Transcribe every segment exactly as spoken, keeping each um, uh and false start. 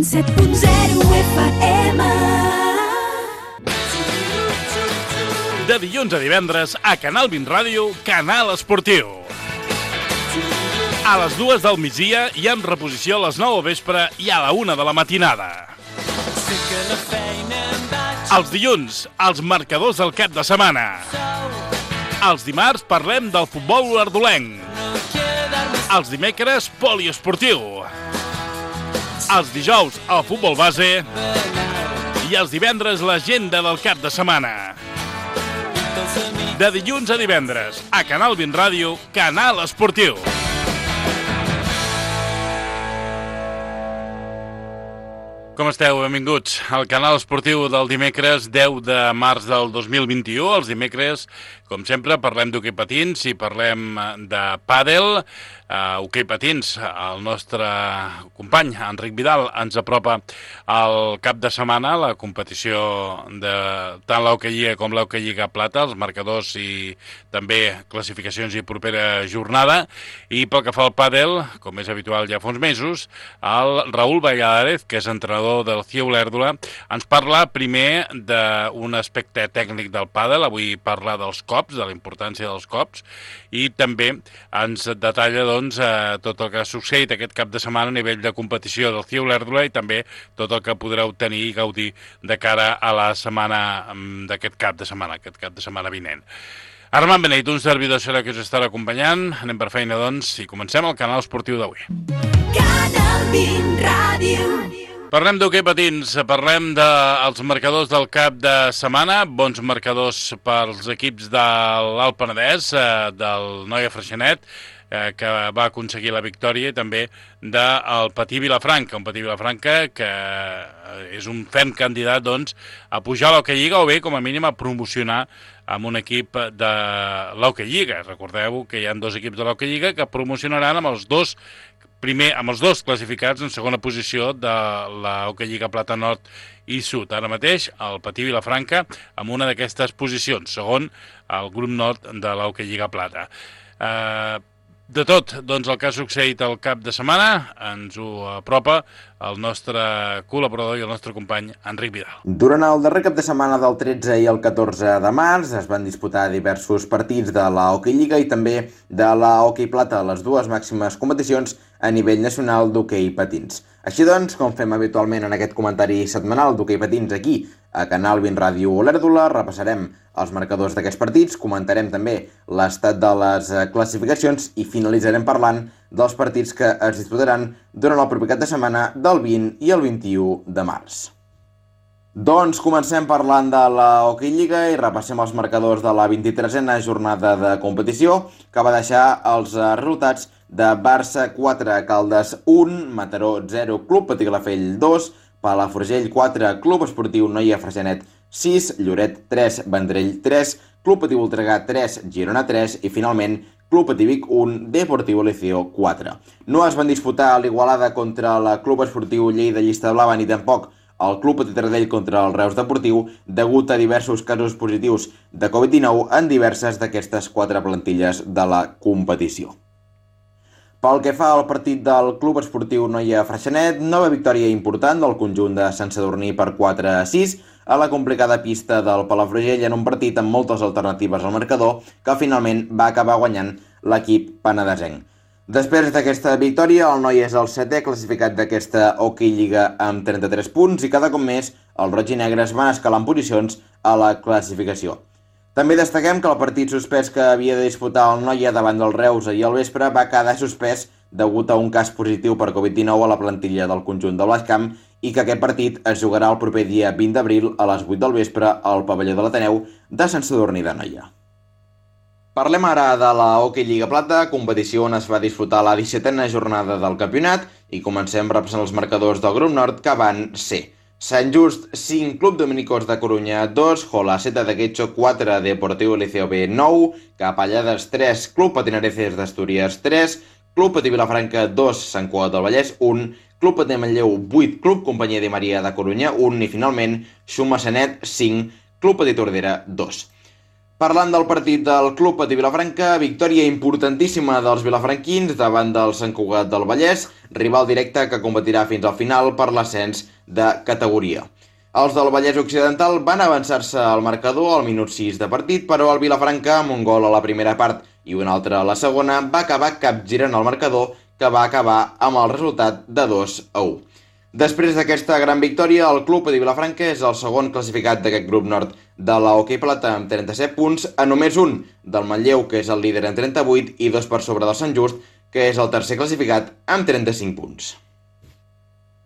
set punt zero F M. De dilluns a divendres a Canal vint Ràdio, Canal Esportiu. A les dues del migdia i amb reposició a les nou al vespre i a la una de la matinada. Els dilluns, els marcadors del cap de setmana. Els dimarts parlem del futbol olordolenc. Els dimecres, poliesportiu. Els dijous, el futbol base. I els divendres, l'agenda del cap de setmana. De dilluns a divendres, a Canal vint Ràdio, Canal Esportiu. Com esteu? Benvinguts al Canal Esportiu del dimecres deu de març del dos mil vint-i-u. Els dimecres, com sempre, parlem d'hoquei patins i parlem de pàdel. Uh, hoquei patins, el nostre company Enric Vidal ens apropa al cap de setmana la competició de tant l'Hoquei Lliga com l'Hoquei Lliga Plata, els marcadors i també classificacions i propera jornada. I pel que fa al pàdel, com és habitual ja fa uns mesos, el Raúl Valladares, que és entrenador del C I E Olèrdola, ens parla primer d'un aspecte tècnic del pàdel. Avui parla dels cops, de la importància dels cops, i també ens detalla doncs, eh, tot el que ha succeït aquest cap de setmana a nivell de competició del C I E Olèrdola i també tot el que podreu tenir i gaudir de cara a la setmana d'aquest cap de setmana, aquest cap de setmana vinent. Armand Beneit, un servidor serà que us estarà acompanyant. Anem per feina, doncs, i comencem el Canal Esportiu d'avui. Canal vint Ràdio. Parlem d'hoquei patins, parlem dels marcadors del cap de setmana, bons marcadors pels equips de l'Alt Penedès, del Noia Freixenet, que va aconseguir la victòria, i també del Patí Vilafranca, un Patí Vilafranca que és un ferm candidat doncs, a pujar a l'Hoquei Lliga o bé, com a mínim, a promocionar amb un equip de l'Hoquei Lliga. Recordeu que hi ha dos equips de l'Hoquei Lliga que promocionaran amb els dos primer amb els dos classificats en segona posició de la Hoquei Lliga Plata Nord i Sud. Ara mateix el Patí Vilafranca amb una d'aquestes posicions, segon el grup nord de la Hoquei Lliga Plata. Eh, de tot, doncs, el que ha succeït el cap de setmana ens ho apropa el nostre col·laborador i el nostre company Enric Vidal. Durant el darrer cap de setmana del tretze i el catorze de març es van disputar diversos partits de la Hoquei Lliga i també de la Hoquei Plata, les dues màximes competicions a nivell nacional d'hoquei patins. Així doncs, com fem habitualment en aquest comentari setmanal d'hoquei patins aquí a Canal vint Ràdio Olèrdola, repassarem els marcadors d'aquests partits, comentarem també l'estat de les classificacions i finalitzarem parlant dels partits que es disputaran durant el proper cap de setmana del vint i el vint-i-u de març. Doncs comencem parlant de la Hoquei Lliga i repassem els marcadors de la vint-i-tresena jornada de competició, que va deixar els resultats de Barça quatre, Caldes un, Mataró zero, Club Patí Calafell dos, Palafrugell quatre, Club Esportiu Noia Freixenet sis, Lloret tres, Vendrell tres, Club Patí Voltregà tres, Girona tres i finalment Club Patí Vic un, Deportivo Liceo quatre. No es van disputar l'Igualada contra la Club Esportiu Lleida Llista Blava ni tampoc el Club Petit Taradell contra el Reus Deportiu degut a diversos casos positius de covid dinou en diverses d'aquestes quatre plantilles de la competició. Pel que fa al partit del Club Esportiu Noia Freixenet, nova victòria important del conjunt de Sant Sadurní per quatre a sis a la complicada pista del Palafrugell en un partit amb moltes alternatives al marcador que finalment va acabar guanyant l'equip penedesenc. Després d'aquesta victòria, el Noia és el setè classificat d'aquesta Hoquei Lliga amb trenta-tres punts i cada cop més els roig i negres van escalant posicions a la classificació. També destaquem que el partit suspès que havia de disputar el Noia davant del Reus ahir al vespre va quedar suspès degut a un cas positiu per covid dinou a la plantilla del conjunt de Blascamp i que aquest partit es jugarà el proper dia vint d'abril a les vuit del vespre al pavelló de l'Ateneu de Sant Sadurní d'Anoia. Parlem ara de la Hoquei Lliga Plata, competició on es va disputar la dissetena jornada del campionat i comencem repassant els marcadors del grup nord que van ser Sant Just cinc, Club Dominicos de Corunya dos, Jolaceta de Quecho quatre, Deportivo Liceo B nou, Capellades tres, Club Patinareces d'Astúries tres, Club Patí Vilafranca dos, Sant Cugat del Vallès un, Club Patí Manlleu vuit, Club Companyia de Maria de Corunya un i finalment Xumacenet cinc, Club Patí Tordera dos. Parlant del partit del Club Patí Vilafranca, victòria importantíssima dels vilafranquins davant del Sant Cugat del Vallès, rival directe que competirà fins al final per l'ascens de categoria. Els del Vallès Occidental van avançar-se al marcador al minut sis de partit, però el Vilafranca, amb un gol a la primera part i un altre a la segona, va acabar capgirant el marcador, que va acabar amb el resultat de dos a u. Després d'aquesta gran victòria, el Club Patí Vilafranca és el segon classificat d'aquest grup nord de la Hoquei Plata amb trenta-set punts, a només un del Manlleu, que és el líder amb trenta-vuit, i dos per sobre del Sant Just, que és el tercer classificat amb trenta-cinc punts.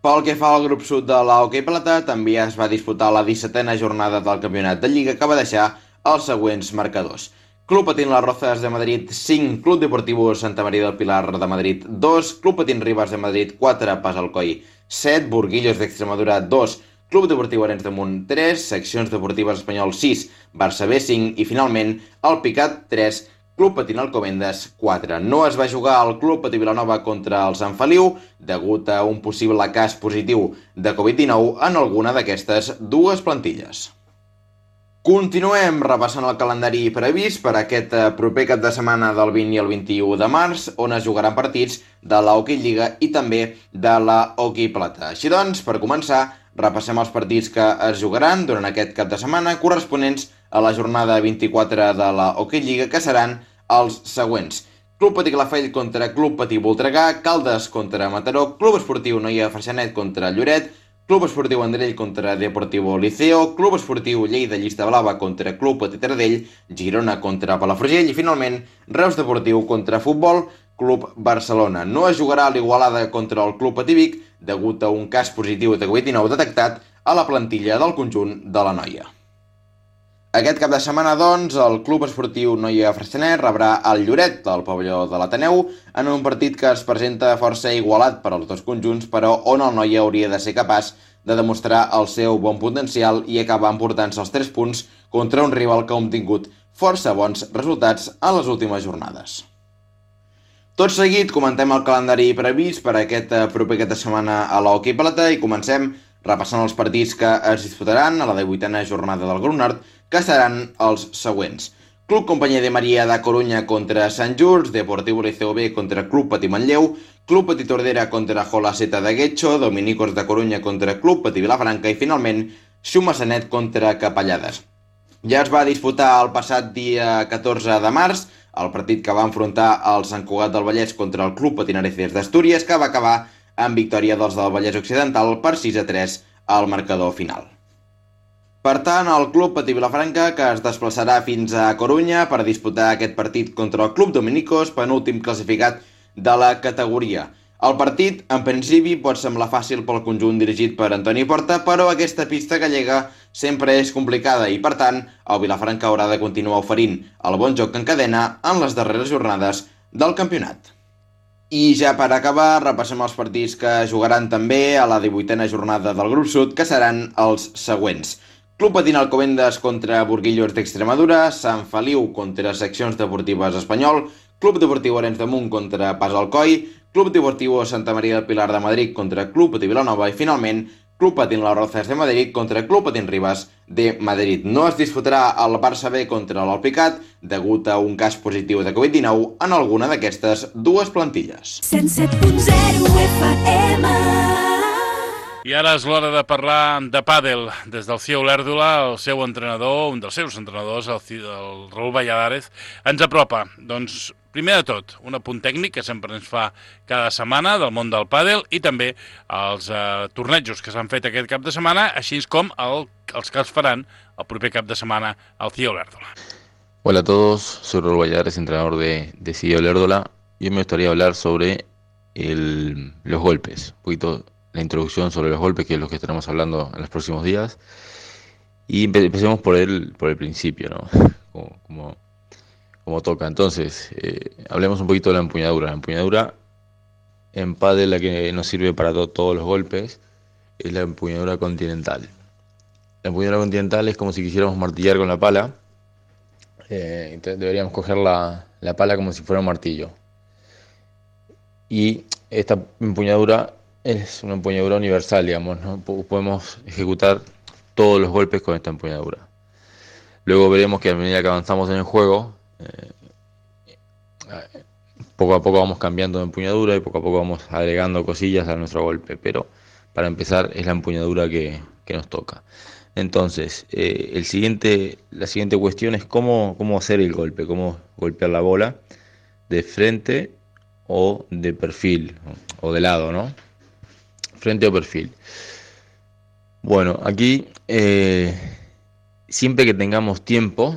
Pel que fa al grup sud de la Hoquei Plata, també es va disputar la dissetena jornada del campionat de Lliga, que va deixar els següents marcadors. Club Patín Las Rozas de Madrid cinc, Club Deportivo Santa María del Pilar de Madrid dos, Club Patín Ribas de Madrid quatre, Pas Alcoi set, Burguillos d'Extremadura dos, Club Deportiu Arenys de Munt tres, Seccions Deportives Espanyol sis, Barça B cinc i finalment el Picat tres, Club Patín Alcobendas quatre. No es va jugar al Club Patí Vilanova contra el Sant Feliu degut a un possible cas positiu de covid dinou en alguna d'aquestes dues plantilles. Continuem repassant el calendari previst per aquest proper cap de setmana del vint i el vint-i-u de març, on es jugaran partits de la Hoquei Lliga i també de la Hoquei Plata. Així doncs, per començar, repassem els partits que es jugaran durant aquest cap de setmana corresponents a la jornada vint-i-quatre de la Hoquei Lliga, que seran els següents. Club Patí Calafell contra Club Patí Voltregà, Caldes contra Mataró, Club Esportiu Noia Freixenet contra Lloret, Club Esportiu Vendrell contra Deportivo Liceo, Club Esportiu Lleida Llista Blava contra Club Patí Taradell, Girona contra Palafrugell i finalment Reus Deportiu contra Futbol Club Barcelona. No es jugarà a l'Igualada contra el Club Patí Vic degut a un cas positiu de covid dinou detectat a la plantilla del conjunt de la Noia. Aquest cap de setmana, doncs, el Club Esportiu Noia Freixenet rebrà el Lloret del pavelló de l'Ateneu en un partit que es presenta força igualat per als dos conjunts, però on el Noia hauria de ser capaç de demostrar el seu bon potencial i acabar emportant-se els tres punts contra un rival que ha obtingut força bons resultats en les últimes jornades. Tot seguit, comentem el calendari previst per aquest proper cap de setmana a la Hoquei Plata i comencem repassant els partits que es disputaran a la divuitena jornada del grup nord, que seran els següents. Club Companyia de Maria da Corunya contra Sant Just, Deportivo Liceo B contra Club Patí Manlleu, Club Patí Tordera contra Jola Seta de Guetxo, Dominicos da Corunya contra Club Patí Vilafranca i finalment Xumassanet contra Capellades. Ja es va disputar el passat dia catorze de març el partit que va enfrontar el Sant Cugat del Vallès contra el Club Patinareces d'Astúries, que va acabar amb victòria dels del Vallès Occidental per sis a tres al marcador final. Per tant, el Club Patí Vilafranca, que es desplaçarà fins a Corunya per disputar aquest partit contra el Club Dominicos, penúltim classificat de la categoria. El partit, en principi, pot semblar fàcil pel conjunt dirigit per Antoni Porta, però aquesta pista gallega sempre és complicada i, per tant, el Vilafranca haurà de continuar oferint el bon joc que encadena en les darreres jornades del campionat. I ja per acabar, repassem els partits que jugaran també a la divuitena jornada del grup sud, que seran els següents. Club Patín Alcobendas contra Burguillos d'Extremadura, Sant Feliu contra Seccions Deportives Espanyol, Club Deportiu Arenys de Munt contra Pas Alcoi, Club Deportivo Santa María del Pilar de Madrid contra Club Patí Vilanova i finalment Club Patín Las Rozas de Madrid contra Club Patín Ribas de Madrid. No es disputarà el Barça B contra l'Alpicat degut a un cas positiu de covid dinou en alguna d'aquestes dues plantilles. cent set punt zero F M. I ara és l'hora de parlar de pàdel. Des del C I A Olèrdola, el seu entrenador, un dels seus entrenadors, el, el Raúl Valladares, ens apropa. Doncs, primer de tot, un apunt tècnic que sempre ens fa cada setmana del món del pàdel i també els eh, tornejos que s'han fet aquest cap de setmana, així com el, els que es faran el proper cap de setmana al C I A Olèrdola. Hola a todos, soy Raúl Valladares, entrenador de, de C I A Olèrdola, y hoy me gustaría hablar sobre el, los golpes, un poquito la introducción sobre los golpes, que es lo que estaremos hablando en los próximos días. Y empe- empecemos por el, por el principio, ¿no? Como, como, como toca. Entonces, eh, hablemos un poquito de la empuñadura. La empuñadura en pádel, la que nos sirve para to- todos los golpes, es la empuñadura continental. La empuñadura continental es como si quisiéramos martillar con la pala. Eh, entonces deberíamos coger la, la pala como si fuera un martillo. Y esta empuñadura es una empuñadura universal, digamos, ¿no? Podemos ejecutar todos los golpes con esta empuñadura. Luego veremos que a medida que avanzamos en el juego, eh, poco a poco vamos cambiando de empuñadura y poco a poco vamos agregando cosillas a nuestro golpe, pero para empezar es la empuñadura que, que nos toca. Entonces, eh, el siguiente, la siguiente cuestión es cómo, cómo hacer el golpe, cómo golpear la bola de frente o de perfil, o de lado, ¿no? Frente o perfil. Bueno, aquí eh, siempre que tengamos tiempo,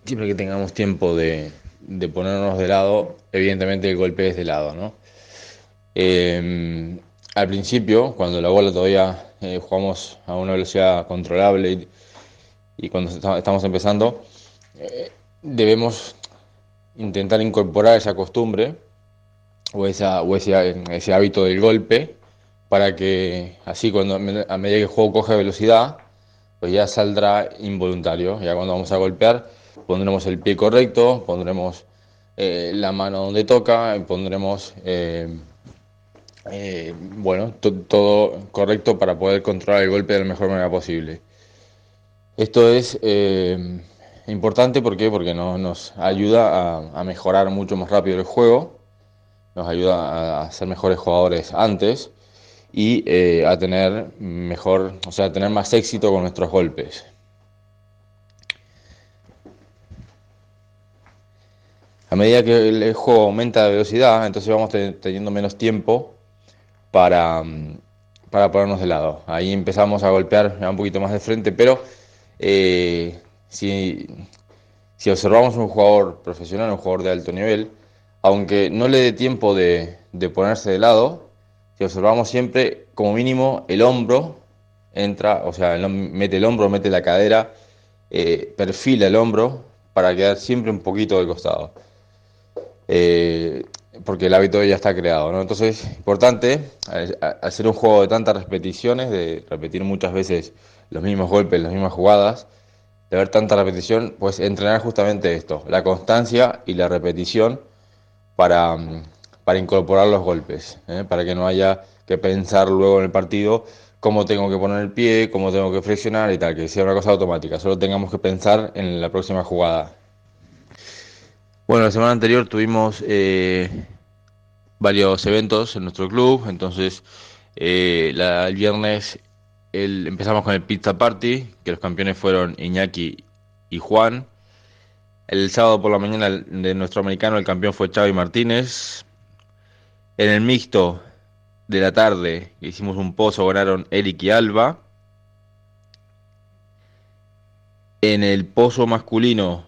siempre que tengamos tiempo de, de ponernos de lado, evidentemente el golpe es de lado, ¿no? Eh, al principio, cuando la bola todavía eh, jugamos a una velocidad controlable y, y cuando estamos empezando, eh, debemos intentar incorporar esa costumbre o, esa, o ese, ese hábito del golpe para que así cuando a medida que el juego coge velocidad, pues ya saldrá involuntario. Ya cuando vamos a golpear pondremos el pie correcto, pondremos eh, la mano donde toca, pondremos eh, eh, bueno, to- todo correcto para poder controlar el golpe de la mejor manera posible. Esto es eh, importante, ¿por qué? Porque no, nos ayuda a, a mejorar mucho más rápido el juego, nos ayuda a ser mejores jugadores antes y eh, a tener mejor, o sea, a tener más éxito con nuestros golpes. A medida que el juego aumenta de velocidad, entonces vamos te- teniendo menos tiempo para, mm, para ponernos de lado. Ahí empezamos a golpear un poquito más de frente, pero eh, si, si observamos un jugador profesional, un jugador de alto nivel, aunque no le dé tiempo de, de ponerse de lado, si observamos siempre, como mínimo, el hombro entra, o sea, el hom- mete el hombro, mete la cadera, eh, perfila el hombro para quedar siempre un poquito del costado. Eh, porque el hábito ya está creado, ¿no? Entonces, importante, al al hacer un juego de tantas repeticiones, de repetir muchas veces los mismos golpes, las mismas jugadas, de ver tanta repetición, pues entrenar justamente esto, la constancia y la repetición para, mm, para incorporar los golpes, ¿eh? Para que no haya que pensar luego en el partido cómo tengo que poner el pie, cómo tengo que flexionar y tal, que sea una cosa automática, solo tengamos que pensar en la próxima jugada. Bueno, la semana anterior tuvimos eh, varios eventos en nuestro club, entonces eh, la- el viernes el- empezamos con el Pizza Party, que los campeones fueron Iñaki y Juan. El sábado por la mañana el- de nuestro americano el campeón fue Xavi Martínez. En el mixto de la tarde que hicimos un pozo, ganaron Eric y Alba. En el pozo masculino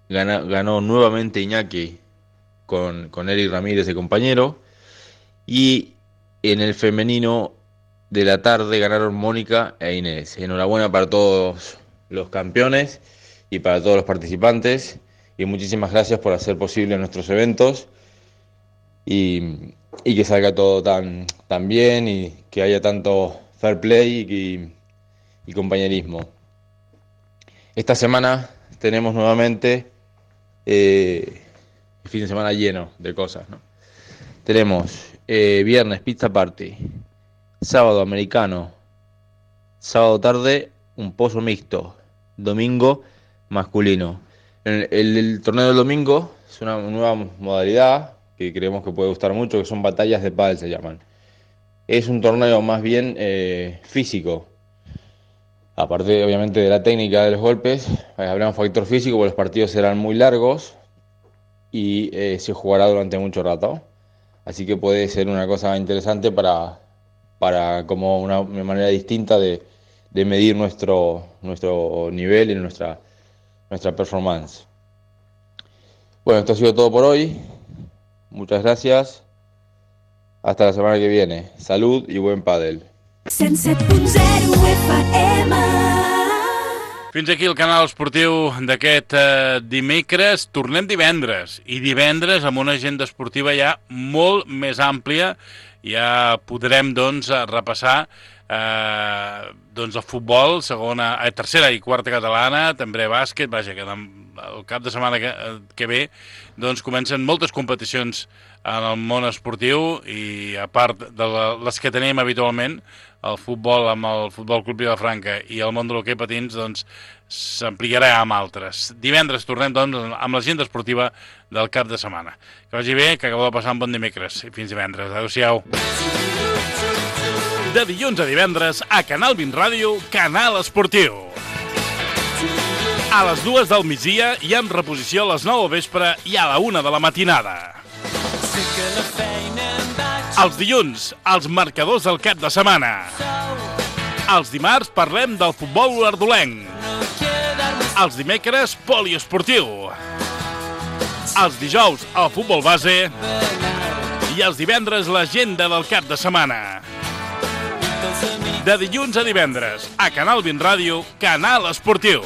gana- ganó nuevamente Iñaki con, con Eric Ramírez de compañero. Y en el femenino de la tarde ganaron Mónica e Inés. Enhorabuena para todos los campeones y para todos los participantes. Y muchísimas gracias por hacer posible nuestros eventos y, y que salga todo tan, tan bien y que haya tanto fair play y, y compañerismo. Esta semana tenemos nuevamente eh, el fin de semana lleno de cosas, ¿no? Tenemos eh, viernes Pizza Party, sábado americano, sábado tarde un pozo mixto, domingo masculino. El, el- el torneo del domingo es una nueva modalidad que creemos que puede gustar mucho, que son batallas de pádel se llaman. Es un torneo más bien eh, físico, aparte obviamente de la técnica de los golpes, eh, habrá un factor físico porque los partidos serán muy largos y eh, se jugará durante mucho rato. Así que puede ser una cosa interesante para, para como una, una manera distinta de, de medir nuestro, nuestro nivel y nuestra, nuestra performance. Bueno, esto ha sido todo por hoy. Muchas gracias. Hasta la semana que viene. Salud y buen pádel. cent set punt zero F M. Fins aquí el canal esportiu d'aquest eh, dimecres. Tornem divendres, i divendres amb una agenda esportiva ja molt més àmplia. Ja podrem, doncs, repassar eh, doncs el futbol, segona, eh, tercera i quarta catalana, també bàsquet, vaja, que el cap de setmana que, que ve doncs comencen moltes competicions en el món esportiu i a part de les que tenim habitualment, el futbol amb el Futbol Club Vilafranca i el món de l'hoquei patins, doncs s'ampliarà amb altres. Divendres tornem doncs amb l'agenda esportiva del cap de setmana. Que vagi bé, que acabeu de passar un bon dimecres i fins divendres. Adéu-siau. De dilluns a divendres a Canal vint Ràdio, Canal Esportiu. A les dues del migdia i amb reposició a les nou del vespre i a la una de la matinada. Els dilluns, els marcadors del cap de setmana. Els dimarts parlem del futbol olordolenc. Els dimecres, poliesportiu. Els dijous, el futbol base. I els divendres, l'agenda del cap de setmana. De dilluns a divendres, a Canal vint Ràdio, Canal Esportiu.